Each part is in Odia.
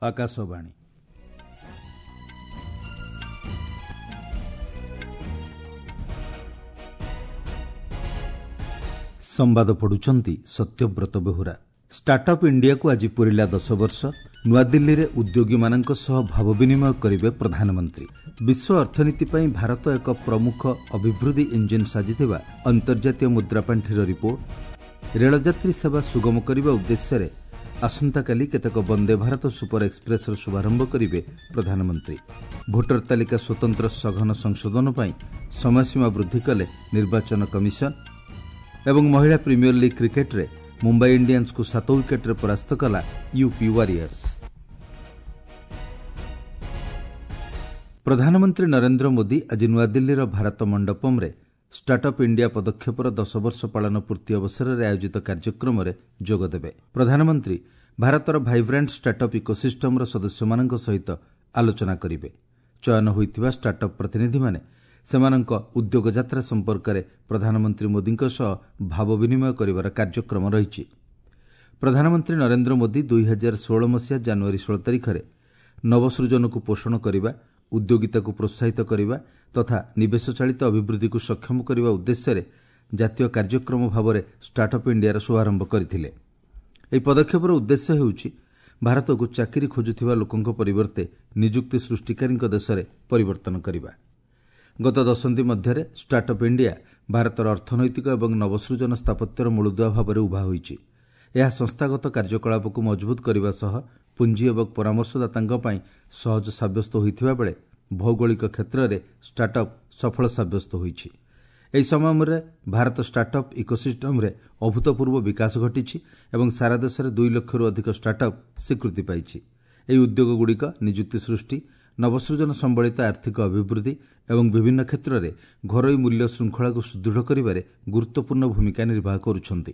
ଆକାଶବାଣୀ। ସମ୍ବାଦ ପଢ଼ୁଛନ୍ତି ସତ୍ୟବ୍ରତ ବେହୁରା। ଷ୍ଟାର୍ଟଅପ୍ ଇଣ୍ଡିଆକୁ ଆଜି ପୂରିଲା 10 ବର୍ଷ। ନୂଆଦିଲ୍ଲୀରେ ଉଦ୍ୟୋଗୀମାନଙ୍କ ସହ ଭାବ ବିନିମୟ କରିବେ ପ୍ରଧାନମନ୍ତ୍ରୀ। ବିଶ୍ୱ ଅର୍ଥନୀତି ପାଇଁ ଭାରତ ଏକ ପ୍ରମୁଖ ଅଭିବୃଦ୍ଧି ଇଞ୍ଜିନ୍ ସାଜିଥିବା ଅନ୍ତର୍ଜାତୀୟ ମୁଦ୍ରାପାଣ୍ଠିର ରିପୋର୍ଟ। ରେଳଯାତ୍ରୀ ସେବା ସୁଗମ କରିବା ଉଦ୍ଦେଶ୍ୟରେ ଆସନ୍ତାକାଲି କେତେକ ବନ୍ଦେ ଭାରତ ସୁପର ଏକ୍ସପ୍ରେସ୍ର ଶୁଭାରମ୍ଭ କରିବେ ପ୍ରଧାନମନ୍ତ୍ରୀ। ଭୋଟର ତାଲିକା ସ୍ୱତନ୍ତ୍ର ସଘନ ସଂଶୋଧନ ପାଇଁ ସମୟସୀମା ବୃଦ୍ଧି କଲେ ନିର୍ବାଚନ କମିଶନ। ଏବଂ ମହିଳା ପ୍ରିମିୟର ଲିଗ୍ କ୍ରିକେଟ୍ରେ ମୁମ୍ବାଇ ଇଣ୍ଡିଆନ୍ସକୁ 7 ୱିକେଟ୍ରେ ପରାସ୍ତ କଲା ୟୁପି ୱାରିୟର୍ସ। ପ୍ରଧାନମନ୍ତ୍ରୀ ନରେନ୍ଦ୍ର ମୋଦି ଆଜି ନୂଆଦିଲ୍ଲୀର ଭାରତ ମଣ୍ଡପମ୍ରେ ଷ୍ଟାର୍ଟଅପ୍ ଇଣ୍ଡିଆ ପଦକ୍ଷେପର 10 ବର୍ଷ ପାଳନ ପୂର୍ତ୍ତି ଅବସରରେ ଆୟୋଜିତ କାର୍ଯ୍ୟକ୍ରମରେ ଯୋଗଦେବେ। ପ୍ରଧାନମନ୍ତ୍ରୀ ଭାରତର ଭାଇବ୍ରାଣ୍ଟ ଷ୍ଟାର୍ଟଅପ୍ ଇକୋସିଷ୍ଟମ୍ର ସଦସ୍ୟମାନଙ୍କ ସହିତ ଆଲୋଚନା କରିବେ। ଚୟନ ହୋଇଥିବା ଷ୍ଟାର୍ଟଅପ୍ ପ୍ରତିନିଧିମାନେ ସେମାନଙ୍କ ଉଦ୍ୟୋଗ ଯାତ୍ରା ସମ୍ପର୍କରେ ପ୍ରଧାନମନ୍ତ୍ରୀ ମୋଦିଙ୍କ ସହ ଭାବ ବିନିମୟ କରିବାର କାର୍ଯ୍ୟକ୍ରମ ରହିଛି। ପ୍ରଧାନମନ୍ତ୍ରୀ ନରେନ୍ଦ୍ର ମୋଦି 2016 ମସିହା ଜାନୁଆରୀ 16 ତାରିଖରେ ନବସୃଜନକୁ ପୋଷଣ କରିବା, ଉଦ୍ୟୋଗିତାକୁ ପ୍ରୋତ୍ସାହିତ କରିବା ତଥା ନିବେଶ ଚାଳିତ ଅଭିବୃଦ୍ଧିକୁ ସକ୍ଷମ କରିବା ଉଦ୍ଦେଶ୍ୟରେ ଜାତୀୟ କାର୍ଯ୍ୟକ୍ରମ ଭାବରେ ଷ୍ଟାର୍ଟଅପ୍ ଇଣ୍ଡିଆର ଶୁଭାରମ୍ଭ କରିଥିଲେ। ଏହି ପଦକ୍ଷେପର ଉଦ୍ଦେଶ୍ୟ ହେଉଛି ଭାରତକୁ ଚାକିରି ଖୋଜୁଥିବା ଲୋକଙ୍କ ପରିବର୍ତ୍ତେ ନିଯୁକ୍ତି ସୃଷ୍ଟିକାରୀଙ୍କ ଦେଶରେ ପରିବର୍ତ୍ତନ କରିବା। ଗତ ଦଶନ୍ଧି ମଧ୍ୟରେ ଷ୍ଟାର୍ଟଅପ୍ ଇଣ୍ଡିଆ ଭାରତର ଅର୍ଥନୈତିକ ଏବଂ ନବସୃଜନ ସ୍ଥାପତ୍ୟର ମୂଳଦୁଆ ଭାବରେ ଉଭା ହୋଇଛି। ଏହା ସଂସ୍ଥାଗତ କାର୍ଯ୍ୟକଳାପକୁ ମଜବୁତ କରିବା ସହ ପୁଞ୍ଜି ଏବଂ ପରାମର୍ଶଦାତାଙ୍କ ପାଇଁ ସହଜ ସାବ୍ୟସ୍ତ ହୋଇଥିବା ବେଳେ ଭୌଗୋଳିକ କ୍ଷେତ୍ରରେ ଷ୍ଟାର୍ଟଅପ୍ ସଫଳ ସାବ୍ୟସ୍ତ ହୋଇଛି। ଏହି ସମୟରେ ଭାରତ ଷ୍ଟାର୍ଟଅପ୍ ଇକୋସିଷ୍ଟମ୍ରେ ଅଭୂତପୂର୍ବ ବିକାଶ ଘଟିଛି ଏବଂ ସାରା ଦେଶରେ 2 ଲକ୍ଷରୁ ଅଧିକ ଷ୍ଟାର୍ଟଅପ୍ ସ୍ୱୀକୃତି ପାଇଛି। ଏହି ଉଦ୍ୟୋଗଗୁଡ଼ିକ ନିଯୁକ୍ତି ସୃଷ୍ଟି, ନବସୃଜନ ସମ୍ବଳିତ ଆର୍ଥିକ ଅଭିବୃଦ୍ଧି ଏବଂ ବିଭିନ୍ନ କ୍ଷେତ୍ରରେ ଘରୋଇ ମୂଲ୍ୟ ଶୃଙ୍ଖଳାକୁ ସୁଦୃଢ଼ କରିବାରେ ଗୁରୁତ୍ୱପୂର୍ଣ୍ଣ ଭୂମିକା ନିର୍ବାହ କରୁଛନ୍ତି।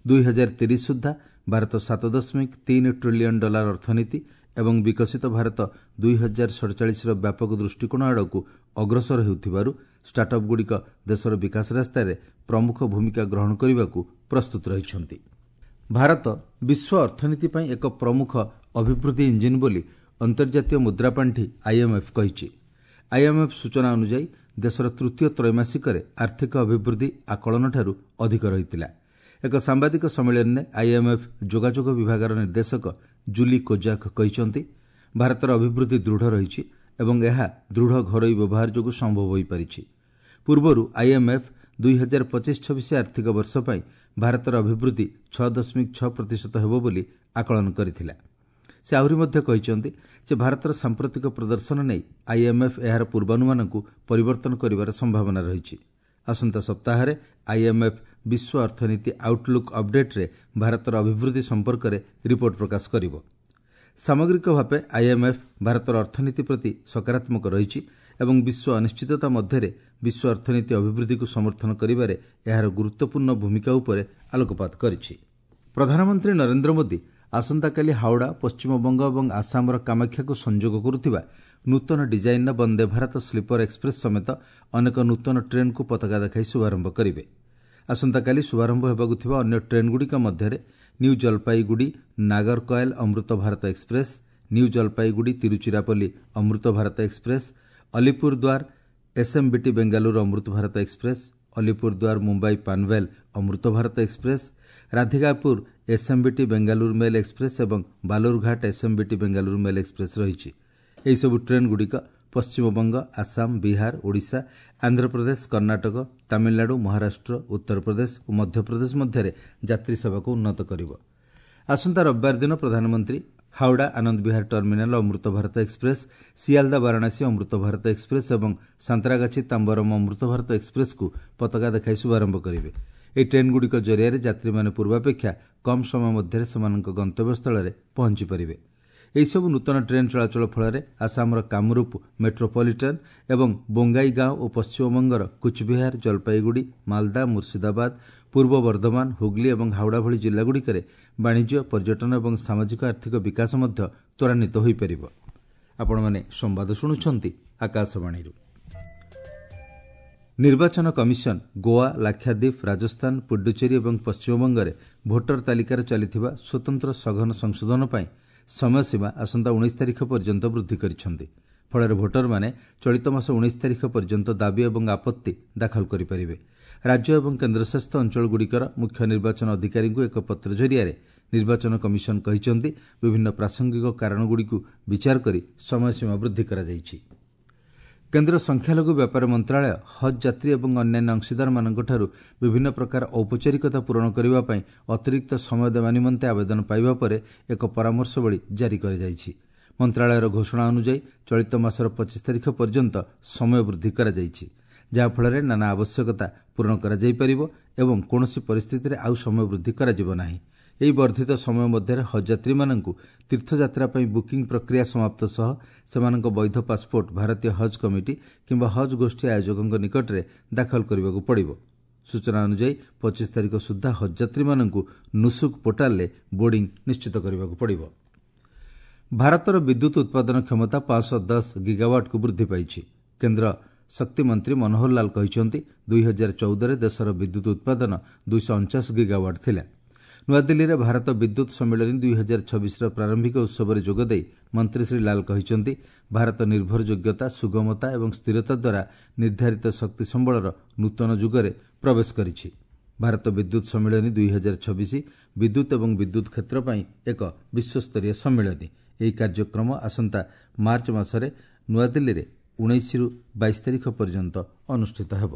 2030 ସୁଦ୍ଧା ଭାରତ 7.3 ଟ୍ରିଲିୟନ୍ ଡଲାର ଅର୍ଥନୀତି ଏବଂ ବିକଶିତ ଭାରତ 2047ର ବ୍ୟାପକ ଦୃଷ୍ଟିକୋଣ ଆଡ଼କୁ ଅଗ୍ରସର ହେଉଥିବାରୁ ଷ୍ଟାର୍ଟଅପ୍ଗୁଡ଼ିକ ଦେଶର ବିକାଶ ରାସ୍ତାରେ ପ୍ରମୁଖ ଭୂମିକା ଗ୍ରହଣ କରିବାକୁ ପ୍ରସ୍ତୁତ ରହିଛନ୍ତି। ଭାରତ ବିଶ୍ୱ ଅର୍ଥନୀତି ପାଇଁ ଏକ ପ୍ରମୁଖ ଅଭିବୃଦ୍ଧି ଇଞ୍ଜିନ୍ ବୋଲି ଅନ୍ତର୍ଜାତୀୟ ମୁଦ୍ରାପାଣ୍ଠି ଆଇଏମ୍ଏଫ୍ କହିଛି। ଆଇଏମ୍ଏଫ୍ ସୂଚନା ଅନୁଯାୟୀ ଦେଶର ତୃତୀୟ ତ୍ରୈମାସିକରେ ଆର୍ଥିକ ଅଭିବୃଦ୍ଧି ଆକଳନଠାରୁ ଅଧିକ ରହିଥିଲା। ଏକ ସାମ୍ବାଦିକ ସମ୍ମିଳନୀରେ ଆଇଏମ୍ଏଫ୍ ଯୋଗାଯୋଗ ବିଭାଗର ନିର୍ଦ୍ଦେଶକ ଜୁଲି କୋଜାକ୍ କହିଛନ୍ତି, ଭାରତର ଅଭିବୃଦ୍ଧି ଦୃଢ଼ ରହିଛି ଏବଂ ଏହା ଦୃଢ଼ ଘରୋଇ ବ୍ୟବହାର ଯୋଗୁଁ ସମ୍ଭବ ହୋଇପାରିଛି। ପୂର୍ବରୁ ଆଇଏମ୍ଏଫ୍ 2025-26 ଆର୍ଥିକ ବର୍ଷ ପାଇଁ ଭାରତର ଅଭିବୃଦ୍ଧି 6.6% ହେବ ବୋଲି ଆକଳନ କରିଥିଲା। ସେ ଆହୁରି ମଧ୍ୟ କହିଛନ୍ତି ଯେ ଭାରତର ସାମ୍ପ୍ରତିକ ପ୍ରଦର୍ଶନ ନେଇ ଆଇଏମ୍ଏଫ୍ ଏହାର ପୂର୍ବାନୁମାନକୁ ପରିବର୍ତ୍ତନ କରିବାର ସମ୍ଭାବନା ରହିଛି। ଆସନ୍ତା ସପ୍ତାହରେ ଆଇଏମ୍ଏଫ୍ ବିଶ୍ୱ ଅର୍ଥନୀତି ଆଉଟଲୁକ୍ ଅପଡେଟ୍ରେ ଭାରତର ଅଭିବୃଦ୍ଧି ସମ୍ପର୍କରେ ରିପୋର୍ଟ ପ୍ରକାଶ କରିବ। ସାମଗ୍ରିକ ଭାବେ ଆଇଏମ୍ଏଫ୍ ଭାରତର ଅର୍ଥନୀତି ପ୍ରତି ସକାରାତ୍ମକ ରହିଛି ଏବଂ ବିଶ୍ୱ ଅନିଶ୍ଚିତତା ମଧ୍ୟରେ ବିଶ୍ୱ ଅର୍ଥନୀତି ଅଭିବୃଦ୍ଧିକୁ ସମର୍ଥନ କରିବାରେ ଏହାର ଗୁରୁତ୍ୱପୂର୍ଣ୍ଣ ଭୂମିକା ଉପରେ ଆଲୋକପାତ କରିଛି। ପ୍ରଧାନମନ୍ତ୍ରୀ ନରେନ୍ଦ୍ର ମୋଦି ଆସନ୍ତାକାଲି ହାଓଡ଼ା, ପଶ୍ଚିମବଙ୍ଗ ଏବଂ ଆସାମର କାମାକ୍ଷାକୁ ସଂଯୋଗ କରୁଥିବା ନୂତନ ଡିଜାଇନ୍ର ବନ୍ଦେ ଭାରତ ସ୍ଲିପର ଏକ୍ସପ୍ରେସ୍ ସମେତ ଅନେକ ନୂତନ ଟ୍ରେନ୍କୁ ପତାକା ଦେଖାଇ ଶୁଭାରମ୍ଭ କରିବେ। ଆସନ୍ତାକାଲି ଶୁଭାରମ୍ଭ ହେବାକୁ ଥିବା ଅନ୍ୟ ଟ୍ରେନ୍ଗୁଡ଼ିକ ମଧ୍ୟରେ New Jalpaiguri Nagercoil Amrit Bharat Express, New Jalpaiguri Tiruchirappalli Amrit Bharat Express, Alipurduar SMBT Bengaluru Amrit Bharat Express, Alipurduar Mumbai Panvel Amrit Bharat Express, Radhikapur SMBT Bengaluru Mail Express ଏବଂ ବାଲୁରଘାଟ ଏସ୍ଏମ୍ବିଟି ବେଙ୍ଗାଲୁରୁ ମେଲ୍ ଏକ୍ସପ୍ରେସ୍ ରହିଛି। ଏହିସବୁ ଟ୍ରେନ୍ଗୁଡ଼ିକ ପଶ୍ଚିମବଙ୍ଗ, ଆସାମ, ବିହାର, ଓଡ଼ିଶା, ଆନ୍ଧ୍ରପ୍ରଦେଶ, କର୍ଣ୍ଣାଟକ, ତାମିଲନାଡୁ, ମହାରାଷ୍ଟ୍ର, ଉତ୍ତରପ୍ରଦେଶ ଓ ମଧ୍ୟପ୍ରଦେଶ ମଧ୍ୟରେ ଯାତ୍ରୀ ସେବାକୁ ଉନ୍ନତ କରିବ। ଆସନ୍ତା ରବିବାର ଦିନ ପ୍ରଧାନମନ୍ତ୍ରୀ ହାଓଡ଼ା ଆନନ୍ଦ ବିହାର ଟର୍ମିନାଲ୍ ଅମୃତ ଭାରତ ଏକ୍ସପ୍ରେସ୍, ସିଆଲଦା ବାରାଣସୀ ଅମୃତ ଭାରତ ଏକ୍ସପ୍ରେସ୍ ଏବଂ ସାନ୍ତ୍ରାଗାଛି ତାମ୍ବରମ୍ ଅମୃତ ଭାରତ ଏକ୍ସପ୍ରେସ୍କୁ ପତାକା ଦେଖାଇ ଶୁଭାରମ୍ଭ କରିବେ। ଏହି ଟ୍ରେନ୍ଗୁଡ଼ିକ ଜରିଆରେ ଯାତ୍ରୀମାନେ ପୂର୍ବାପେକ୍ଷା କମ୍ ସମୟ ମଧ୍ୟରେ ସେମାନଙ୍କ ଗନ୍ତବ୍ୟସ୍ଥଳରେ ପହଞ୍ଚିପାରିବେ। ଏହିସବୁ ନୂତନ ଟ୍ରେନ୍ ଚଳାଚଳ ଫଳରେ ଆସାମର କାମରୂପ ମେଟ୍ରୋପଲିଟାନ୍ ଏବଂ ବୋଙ୍ଗାଇଗାଁଓ ଓ ପଶ୍ଚିମବଙ୍ଗର କୁଚବିହାର, ଜଲପାଇଗୁଡ଼ି, ମାଲଦା, ମୁର୍ସିଦାବାଦ, ପୂର୍ବ ବର୍ଦ୍ଧମାନ, ହୁଗ୍ଲି ଏବଂ ହାଓଡ଼ା ଭଳି ଜିଲ୍ଲାଗୁଡ଼ିକରେ ବାଣିଜ୍ୟ, ପର୍ଯ୍ୟଟନ ଏବଂ ସାମାଜିକ ଆର୍ଥିକ ବିକାଶ ମଧ୍ୟ ତ୍ୱରାନ୍ୱିତ ହୋଇପାରିବ। ଆପଣମାନେ ସମ୍ବାଦ ଶୁଣୁଛନ୍ତି ଆକାଶବାଣୀରୁ। ନିର୍ବାଚନ କମିଶନ ଗୋଆ, ଲାକ୍ଷାଦ୍ୱୀପ, ରାଜସ୍ଥାନ, ପୁଡୁଚେରୀ ଏବଂ ପଶ୍ଚିମବଙ୍ଗରେ ଭୋଟର ତାଲିକାରେ ଚାଲିଥିବା ସ୍ୱତନ୍ତ୍ର ସଘନ ସଂଶୋଧନ ପାଇଁ ସମୟସୀମା ଆସନ୍ତା 19 ତାରିଖ ପର୍ଯ୍ୟନ୍ତ ବୃଦ୍ଧି କରିଛନ୍ତି। ଫଳରେ ଭୋଟରମାନେ ଚଳିତ ମାସ 19 ତାରିଖ ପର୍ଯ୍ୟନ୍ତ ଦାବି ଏବଂ ଆପତ୍ତି ଦାଖଲ କରିପାରିବେ। ରାଜ୍ୟ ଏବଂ କେନ୍ଦ୍ରଶାସିତ ଅଞ୍ଚଳଗୁଡ଼ିକର ମୁଖ୍ୟ ନିର୍ବାଚନ ଅଧିକାରୀଙ୍କୁ ଏକ ପତ୍ର ଜରିଆରେ ନିର୍ବାଚନ କମିଶନ କହିଛନ୍ତି, ବିଭିନ୍ନ ପ୍ରାସଙ୍ଗିକ କାରଣଗୁଡ଼ିକୁ ବିଚାର କରି ସମୟସୀମା ବୃଦ୍ଧି କରାଯାଇଛି। କେନ୍ଦ୍ର ସଂଖ୍ୟାଲଘୁ ବ୍ୟାପାର ମନ୍ତ୍ରଣାଳୟ ହଜ୍ ଯାତ୍ରୀ ଏବଂ ଅନ୍ୟାନ୍ୟ ଅଂଶୀଦାରମାନଙ୍କଠାରୁ ବିଭିନ୍ନ ପ୍ରକାର ଔପଚାରିକତା ପୂରଣ କରିବା ପାଇଁ ଅତିରିକ୍ତ ସମୟ ଦେବା ନିମନ୍ତେ ଆବେଦନ ପାଇବା ପରେ ଏକ ପରାମର୍ଶବଳୀ ଜାରି କରାଯାଇଛି। ମନ୍ତ୍ରଣାଳୟର ଘୋଷଣା ଅନୁଯାୟୀ ଚଳିତ ମାସର 25 ତାରିଖ ପର୍ଯ୍ୟନ୍ତ ସମୟ ବୃଦ୍ଧି କରାଯାଇଛି, ଯାହାଫଳରେ ନାନା ଆବଶ୍ୟକତା ପୂରଣ କରାଯାଇପାରିବ ଏବଂ କୌଣସି ପରିସ୍ଥିତିରେ ଆଉ ସମୟ ବୃଦ୍ଧି କରାଯିବ ନାହିଁ। ଏହି ବର୍ଦ୍ଧିତ ସମୟ ମଧ୍ୟରେ ହଜ୍ ଯାତ୍ରୀମାନଙ୍କୁ ତୀର୍ଥଯାତ୍ରା ପାଇଁ ବୁକିଂ ପ୍ରକ୍ରିୟା ସମାପ୍ତ ସହ ସେମାନଙ୍କ ବୈଧ ପାସପୋର୍ଟ ଭାରତୀୟ ହଜ୍ କମିଟି କିମ୍ବା ହଜ୍ ଗୋଷ୍ଠୀ ଆୟୋଜକଙ୍କ ନିକଟରେ ଦାଖଲ କରିବାକୁ ପଡ଼ିବ। ସୂଚନା ଅନୁଯାୟୀ 25 ତାରିଖ ସୁଦ୍ଧା ହଜ୍ ଯାତ୍ରୀମାନଙ୍କୁ ନୁସୁକ୍ ପୋର୍ଟାଲରେ ବୋର୍ଡିଂ ନିଶ୍ଚିତ କରିବାକୁ ପଡ଼ିବ। ଭାରତର ବିଦ୍ୟୁତ୍ ଉତ୍ପାଦନ କ୍ଷମତା 510 ଗିଗାୱାଟ୍କୁ ବୃଦ୍ଧି ପାଇଛି। କେନ୍ଦ୍ର ଶକ୍ତିମନ୍ତ୍ରୀ ମନୋହର ଲାଲ କହିଛନ୍ତି, 2014ରେ ଦେଶର ବିଦ୍ୟୁତ୍ ଉତ୍ପାଦନ 249 ଗିଗାୱାଟ୍ ଥିଲା। ନୂଆଦିଲ୍ଲୀରେ ଭାରତ ବିଦ୍ୟୁତ୍ ସମ୍ମିଳନୀ 2026ର ପ୍ରାରମ୍ଭିକ ଉତ୍ସବରେ ଯୋଗଦେଇ ମନ୍ତ୍ରୀ ଶ୍ରୀ ଲାଲ କହିଛନ୍ତି, ଭାରତ ନିର୍ଭରଯୋଗ୍ୟତା, ସୁଗମତା ଏବଂ ସ୍ଥିରତା ଦ୍ୱାରା ନିର୍ଦ୍ଧାରିତ ଶକ୍ତି ସମ୍ବଳର ନୂତନ ଯୁଗରେ ପ୍ରବେଶ କରିଛି। ଭାରତ ବିଦ୍ୟୁତ୍ ସମ୍ମିଳନୀ 2026 ବିଦ୍ୟୁତ୍ ଏବଂ ବିଦ୍ୟୁତ୍ କ୍ଷେତ୍ର ପାଇଁ ଏକ ବିଶ୍ୱସ୍ତରୀୟ ସମ୍ମିଳନୀ। ଏହି କାର୍ଯ୍ୟକ୍ରମ ଆସନ୍ତା ମାର୍ଚ୍ଚ ମାସରେ ନୂଆଦିଲ୍ଲୀରେ 19ରୁ 22 ତାରିଖ ପର୍ଯ୍ୟନ୍ତ ଅନୁଷ୍ଠିତ ହେବ।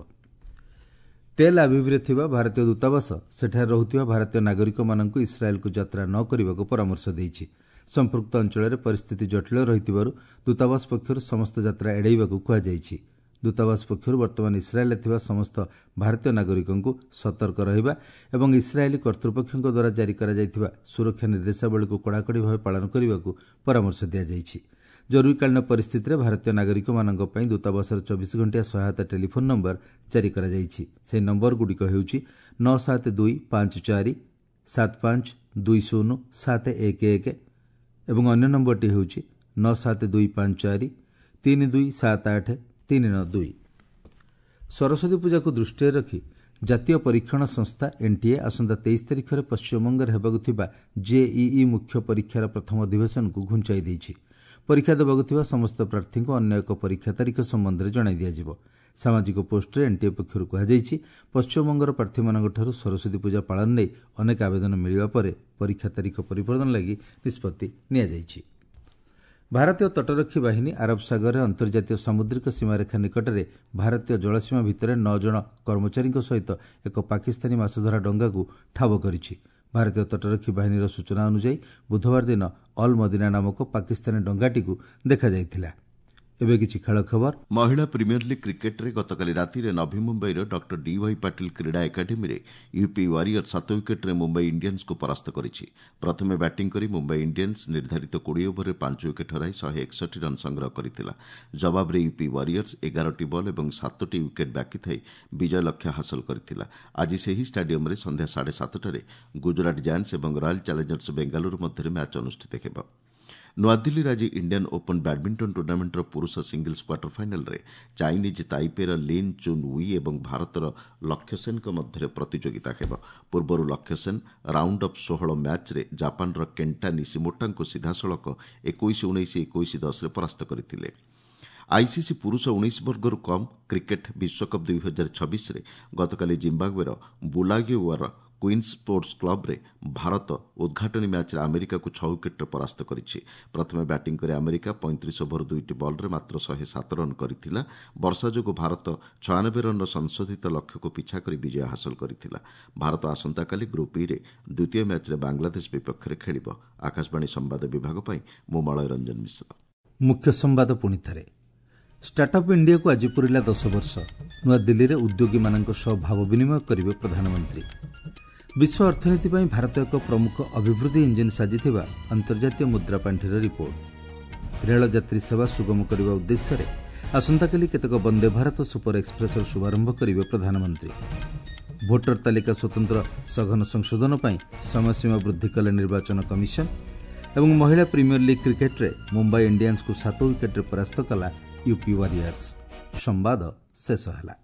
ତେଲ୍ ଆଭିଭ୍ରେ ଥିବା ଭାରତୀୟ ଦୂତାବାସ ସେଠାରେ ରହୁଥିବା ଭାରତୀୟ ନାଗରିକମାନଙ୍କୁ ଇସ୍ରାଏଲ୍କୁ ଯାତ୍ରା ନ କରିବାକୁ ପରାମର୍ଶ ଦେଇଛି। ସମ୍ପୃକ୍ତ ଅଞ୍ଚଳରେ ପରିସ୍ଥିତି ଜଟିଳ ରହିଥିବାରୁ ଦୂତାବାସ ପକ୍ଷରୁ ସମସ୍ତ ଯାତ୍ରା ଏଡ଼ାଇବାକୁ କୁହାଯାଇଛି। ଦୂତାବାସ ପକ୍ଷରୁ ବର୍ତ୍ତମାନ ଇସ୍ରାଏଲ୍ରେ ଥିବା ସମସ୍ତ ଭାରତୀୟ ନାଗରିକଙ୍କୁ ସତର୍କ ରହିବା ଏବଂ ଇସ୍ରାଏଲୀ କର୍ତ୍ତୃପକ୍ଷଙ୍କ ଦ୍ୱାରା ଜାରି କରାଯାଇଥିବା ସୁରକ୍ଷା ନିର୍ଦ୍ଦେଶାବଳୀକୁ କଡ଼ାକଡ଼ି ଭାବେ ପାଳନ କରିବାକୁ ପରାମର୍ଶ ଦିଆଯାଇଛି। ଜରୁରୀକାଳୀନ ପରିସ୍ଥିତିରେ ଭାରତୀୟ ନାଗରିକମାନଙ୍କ ପାଇଁ ଦୂତାବାସର 24 ଘଣ୍ଟିଆ ସହାୟତା ଟେଲିଫୋନ୍ ନମ୍ବର ଜାରି କରାଯାଇଛି। ସେହି ନମ୍ବରଗୁଡ଼ିକ ହେଉଛି 97254 752 0711 ଏବଂ ଅନ୍ୟ ନମ୍ବରଟି ହେଉଛି 97254 3278 392। ସରସ୍ୱତୀ ପୂଜାକୁ ଦୃଷ୍ଟିରେ ରଖି ଜାତୀୟ ପରୀକ୍ଷଣ ସଂସ୍ଥା ଏନ୍ଟିଏ ଆସନ୍ତା 23 ତାରିଖରେ ପଶ୍ଚିମବଙ୍ଗରେ ହେବାକୁ ଥିବା ଜେଇଇ ମୁଖ୍ୟ ପରୀକ୍ଷାର ପ୍ରଥମ ଅଧିବେଶନକୁ ଘୁଞ୍ଚାଇ ଦେଇଛି। ପରୀକ୍ଷା ଦେବାକୁ ଥିବା ସମସ୍ତ ପ୍ରାର୍ଥୀଙ୍କୁ ଅନ୍ୟ ଏକ ପରୀକ୍ଷା ତାରିଖ ସମ୍ବନ୍ଧରେ ଜଣାଇ ଦିଆଯିବ। ସାମାଜିକ ପୋଷ୍ଟରେ ଏନ୍ଟିଏ ପକ୍ଷରୁ କୁହାଯାଇଛି, ପଶ୍ଚିମବଙ୍ଗର ପ୍ରାର୍ଥୀମାନଙ୍କଠାରୁ ସରସ୍ୱତୀ ପୂଜା ପାଳନ ନେଇ ଅନେକ ଆବେଦନ ମିଳିବା ପରେ ପରୀକ୍ଷା ତାରିଖ ପରିବର୍ତ୍ତନ ଲାଗି ନିଷ୍ପତ୍ତି ନିଆଯାଇଛି। ଭାରତୀୟ ତଟରକ୍ଷୀ ବାହିନୀ ଆରବ ସାଗରରେ ଅନ୍ତର୍ଜାତୀୟ ସାମୁଦ୍ରିକ ସୀମାରେଖା ନିକଟରେ ଭାରତୀୟ ଜଳସୀମା ଭିତରେ 9 ଜଣ କର୍ମଚାରୀଙ୍କ ସହିତ ଏକ ପାକିସ୍ତାନୀ ମାଛଧରା ଡଙ୍ଗାକୁ ଠାବ କରିଛି। ଭାରତୀୟ ତଟରକ୍ଷୀ ବାହିନୀର ସୂଚନା ଅନୁଯାୟୀ ବୁଧବାର ଦିନ ଅଲ୍ ମଦିନା ନାମକ ପାକିସ୍ତାନୀ ଡଙ୍ଗାଟିକୁ ଦେଖାଯାଇଥିଲା। ଏବେ କିଛି ଖେଳ ଖବର। ମହିଳା ପ୍ରିମିୟର ଲିଗ୍ କ୍ରିକେଟ୍ରେ ଗତକାଲି ରାତିରେ ନଭି ମୁମ୍ବାଇର ଡକ୍ଟର ଡିୱାଇ ପାଟିଲ କ୍ରୀଡ଼ା ଏକାଡେମୀରେ ୟୁପି ୱାରିୟର 7 ୱିକେଟ୍ରେ ମୁମ୍ବାଇ ଇଣ୍ଡିଆନ୍ସକୁ ପରାସ୍ତ କରିଛି। ପ୍ରଥମେ ବ୍ୟାଟିଂ କରି ମୁମ୍ବାଇ ଇଣ୍ଡିଆନ୍ସ ନିର୍ଦ୍ଧାରିତ 20 ଓଭରରେ 5 ୱିକେଟ୍ ହରାଇ 161 ରନ୍ ସଂଗ୍ରହ କରିଥିଲା। ଜବାବରେ ୟୁପି ୱାରିୟର୍ସ 11ଟି ବଲ୍ ଏବଂ 7ଟି ୱିକେଟ୍ ବାକି ଥାଇ ବିଜୟ ଲକ୍ଷ୍ୟ ହାସଲ କରିଥିଲା। ଆଜି ସେହି ଷ୍ଟାଡିୟମ୍ରେ ସନ୍ଧ୍ୟା 7:30ରେ ଗୁଜରାଟ ଜାୟାଣ୍ଟସ୍ ଏବଂ ରୟାଲ୍ ଚ୍ୟାଲେଞ୍ଜର୍ସ ବେଙ୍ଗାଲୁରୁ ମଧ୍ୟରେ ମ୍ୟାଚ୍ ଅନୁଷ୍ଠିତ ହେବ। ନୂଆଦିଲ୍ଲୀରେ ଆଜି ଇଣ୍ଡିଆନ୍ ଓପନ୍ ବ୍ୟାଡ୍ମିଣ୍ଟନ ଟୁର୍ଣ୍ଣାମେଣ୍ଟର ପୁରୁଷ ସିଙ୍ଗଲ୍ସ କ୍ୱାର୍ଟର ଫାଇନାଲ୍ରେ ଚାଇନିଜ୍ ତାଇପେର ଲିନ୍ ଚୁନ୍ we ଏବଂ ଭାରତର ଲକ୍ଷ୍ୟ ସେନ୍ଙ୍କ ମଧ୍ୟରେ ପ୍ରତିଯୋଗିତା ହେବ। ପୂର୍ବରୁ ଲକ୍ଷ୍ୟ ସେନ୍ ରାଉଣ୍ଡ ଅଫ୍ 16 ମ୍ୟାଚ୍ରେ ଜାପାନର କେଣ୍ଟା ନିସିମୋଟାଙ୍କୁ ସିଧାସଳଖ 21-19, 21-10ରେ ପରାସ୍ତ କରିଥିଲେ। ଆଇସିସି ପୁରୁଷ 19 ବର୍ଗରୁ କମ୍ କ୍ରିକେଟ୍ ବିଶ୍ୱକପ୍ 2026ରେ ଗତକାଲି ଜିମ୍ବାୱେର ବୁଲାଗିଓର କୁଇନ୍ସ ସ୍ପୋର୍ଟସ୍ କ୍ଲବ୍ରେ ଭାରତ ଉଦ୍ଘାଟନୀ ମ୍ୟାଚ୍ରେ ଆମେରିକାକୁ 6 ୱିକେଟ୍ରେ ପରାସ୍ତ କରିଛି। ପ୍ରଥମେ ବ୍ୟାଟିଂ କରି ଆମେରିକା 35 ଓଭର 2ଟି ବଲ୍ରେ ମାତ୍ର 107 ରନ୍ କରିଥିଲା। ବର୍ଷା ଯୋଗୁଁ ଭାରତ 96 ରନ୍ର ସଂଶୋଧିତ ଲକ୍ଷ୍ୟକୁ ପିଛା କରି ବିଜୟ ହାସଲ କରିଥିଲା। ଭାରତ ଆସନ୍ତାକାଲି ଗ୍ରୁପ୍ ଇରେ ଦ୍ୱିତୀୟ ମ୍ୟାଚ୍ରେ ବାଂଲାଦେଶ ବିପକ୍ଷରେ ଖେଳିବ। ଆକାଶବାଣୀ ସମ୍ବାଦ ବିଭାଗ ପାଇଁ ମୁଁ ମଳୟ ରଞ୍ଜନ ମିଶ୍ର। ମୁଖ୍ୟ ସମ୍ବାଦ ପୁଣି ଥରେ। ଷ୍ଟାର୍ଟଅପ୍ ଇଣ୍ଡିଆକୁ ଆଜି ପୁରିଲା 10 ବର୍ଷ। ନୂଆଦିଲ୍ଲୀରେ ଉଦ୍ୟୋଗୀମାନଙ୍କ ସହ ଭାବ ବିନିମୟ କରିବେ ପ୍ରଧାନମନ୍ତ୍ରୀ। ବିଶ୍ୱ ଅର୍ଥନୀତି ପାଇଁ ଭାରତ ଏକ ପ୍ରମୁଖ ଅଭିବୃଦ୍ଧି ଇଞ୍ଜିନ୍ ସାଜିଥିବା ଅନ୍ତର୍ଜାତୀୟ ମୁଦ୍ରା ପାଣ୍ଠିର ରିପୋର୍ଟ। ରେଳଯାତ୍ରୀ ସେବା ସୁଗମ କରିବା ଉଦ୍ଦେଶ୍ୟରେ ଆସନ୍ତାକାଲି କେତେକ ବନ୍ଦେ ଭାରତ ସୁପର ଏକ୍ସପ୍ରେସର ଶୁଭାରମ୍ଭ କରିବେ ପ୍ରଧାନମନ୍ତ୍ରୀ। ଭୋଟର ତାଲିକା ସ୍ୱତନ୍ତ୍ର ସଘନ ସଂଶୋଧନ ପାଇଁ ସମୟସୀମା ବୃଦ୍ଧି କଲେ ନିର୍ବାଚନ କମିଶନ। ଏବଂ ମହିଳା ପ୍ରିମିୟର ଲିଗ୍ କ୍ରିକେଟ୍ରେ ମୁମ୍ବାଇ ଇଣ୍ଡିଆନ୍ସକୁ 7 ୱିକେଟ୍ରେ ପରାସ୍ତ କଲା ୟୁପି ୱାରିୟର୍ସ। ସମ୍ବାଦ ଶେଷ ହେଲା।